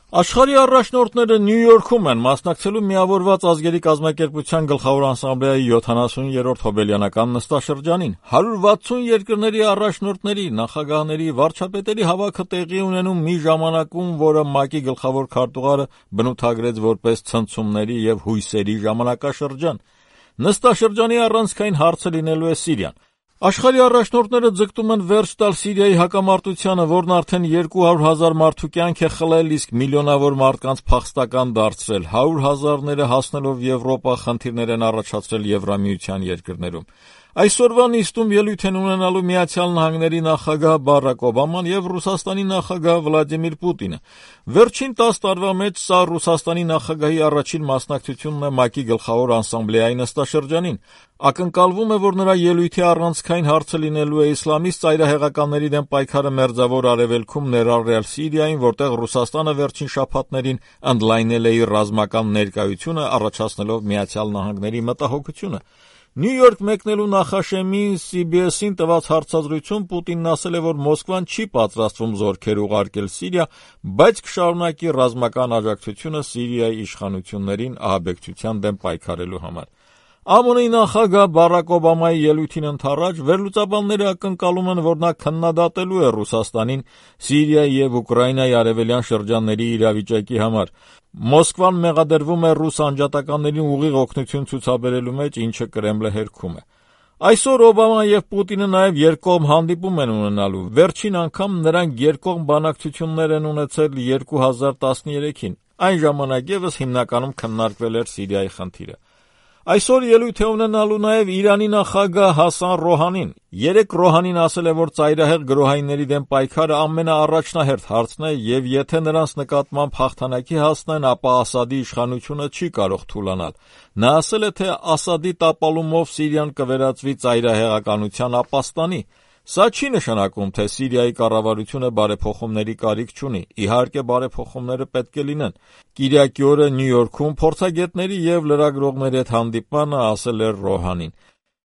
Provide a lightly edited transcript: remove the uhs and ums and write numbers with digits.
Աշխարհի առաջնորդները Նյու Յորքում են մասնակցելու Միավորված ազգերի կազմակերպության գլխավոր ասամբլեայի 70-րդ հոբելյանական նստաշրջանին։ 160 երկրների առաջնորդների, նախագահների, վարչապետերի հավաքը տեղի ունենում մի ժամանակում, որը ՄԱԿ-ի գլխավոր քարտուղարը բնութագրեց որպես ցնցումների և հույսերի ժամանակաշրջան։ Նստաշրջանի առանցքային հարցը լինելու է Սիրիան։ Աշխարհի առաջնորդները ձգտում են վերջ տալ Սիրիայի հակամարտությանը, որն արդեն 200,000 մարդու կյանք է խլել, իսկ միլիոնավոր մարդկանց փախստական դարձրել, 100,000-ները հասնելով Եվրոպա խնդիրներ են առաջացրել Եվրամիության երկրներում։ Այսօրվա նիստում ելույթ են ունենալու Միացյալ Նահանգների նախագահ Բարաք Օբաման և Ռուսաստանի նախագահ Վլադիմիր Պուտինը։ Վերջին 10 տարվա մեջ սա Ռուսաստանի նախագահի առաջին մասնակցությունն է ՄԱԿ-ի գլխավոր ասամբլեայի նստաշրջանին։ Ակնկալվում է, որ նրա ելույթի առանցքային հարցը լինելու է իսլամիստ ծայրահեղականների դեմ պայքարը Մերձավոր Արևելքում, ներառյալ Սիրիային, որտեղ Ռուսաստանը վերջին շաբաթներին ընդլայնել է իր ռազմական ներկայությունը, առաջացնելով Միացյալ Նահանգների մտահոգությունը։ Նյու Յորք մեկնելու նախաշեմի CBS-ին տված հարցազրույցում Պուտինն ասել է, որ Մոսկվան չի պատրաստվում զորքեր ուղարկել Սիրիա, բայց կշարունակի ռազմական աջակցությունը Սիրիայի իշխանություններին ահաբեկչության դեմ պայքարելու համար։ ԱՄՆ-ի նախագահ Բարաք Օբամայի ելույթին ընդառաջ վերլուծաբանները ակնկալում են, որ նա քննադատելու է Ռուսաստանին Սիրիայի և Ուկրաինայի արևելյան շրջանների իրավիճակի համար։ Մոսկվան մեղադրվում է ռուս անջատականներին ուղիղ օգնություն ցուցաբերելու մեջ, ինչը Կրեմլը հերքում է։ Այսօր Օբաման և Պուտինը նաև երկկողմ հանդիպում են ունենալու։ Վերջին անգամ նրանք երկկողմ բանակցություններ են ունեցել 2013-ին։ Այն ժամանակ ևս հիմնականում քննարկվել էր Սիրիայի խնդիրը։ Այսօր ելույթ է ունենալու նաև Իրանի նախագահ Հասան Ռոհանին։ Երեկ Ռոհանին ասել է, որ ծայրահեղ գրոհայինների դեմ պայքարը ամենաառաջնահերթ հարցն է, և եթե նրանց նկատմամբ հաղթանակի հասնեն, ապա Ասադի իշխանությունը չի կարող թուլանալ։ Նա ասել է, թե Ասադի տապալումով Սիրիան կվերածվի ծայրահեղականության ապաստանի։ Սա չի նշանակում, թե Սիրիայի կառավարությունը բարեփոխումների կարիք չունի։ Իհարկե, բարեփոխումները պետք է լինեն։ Կիրակի օրը Նյու Յորքում փորձագետների և լրագրողների հետ հանդիպմանը ասել էր Ռոհանին։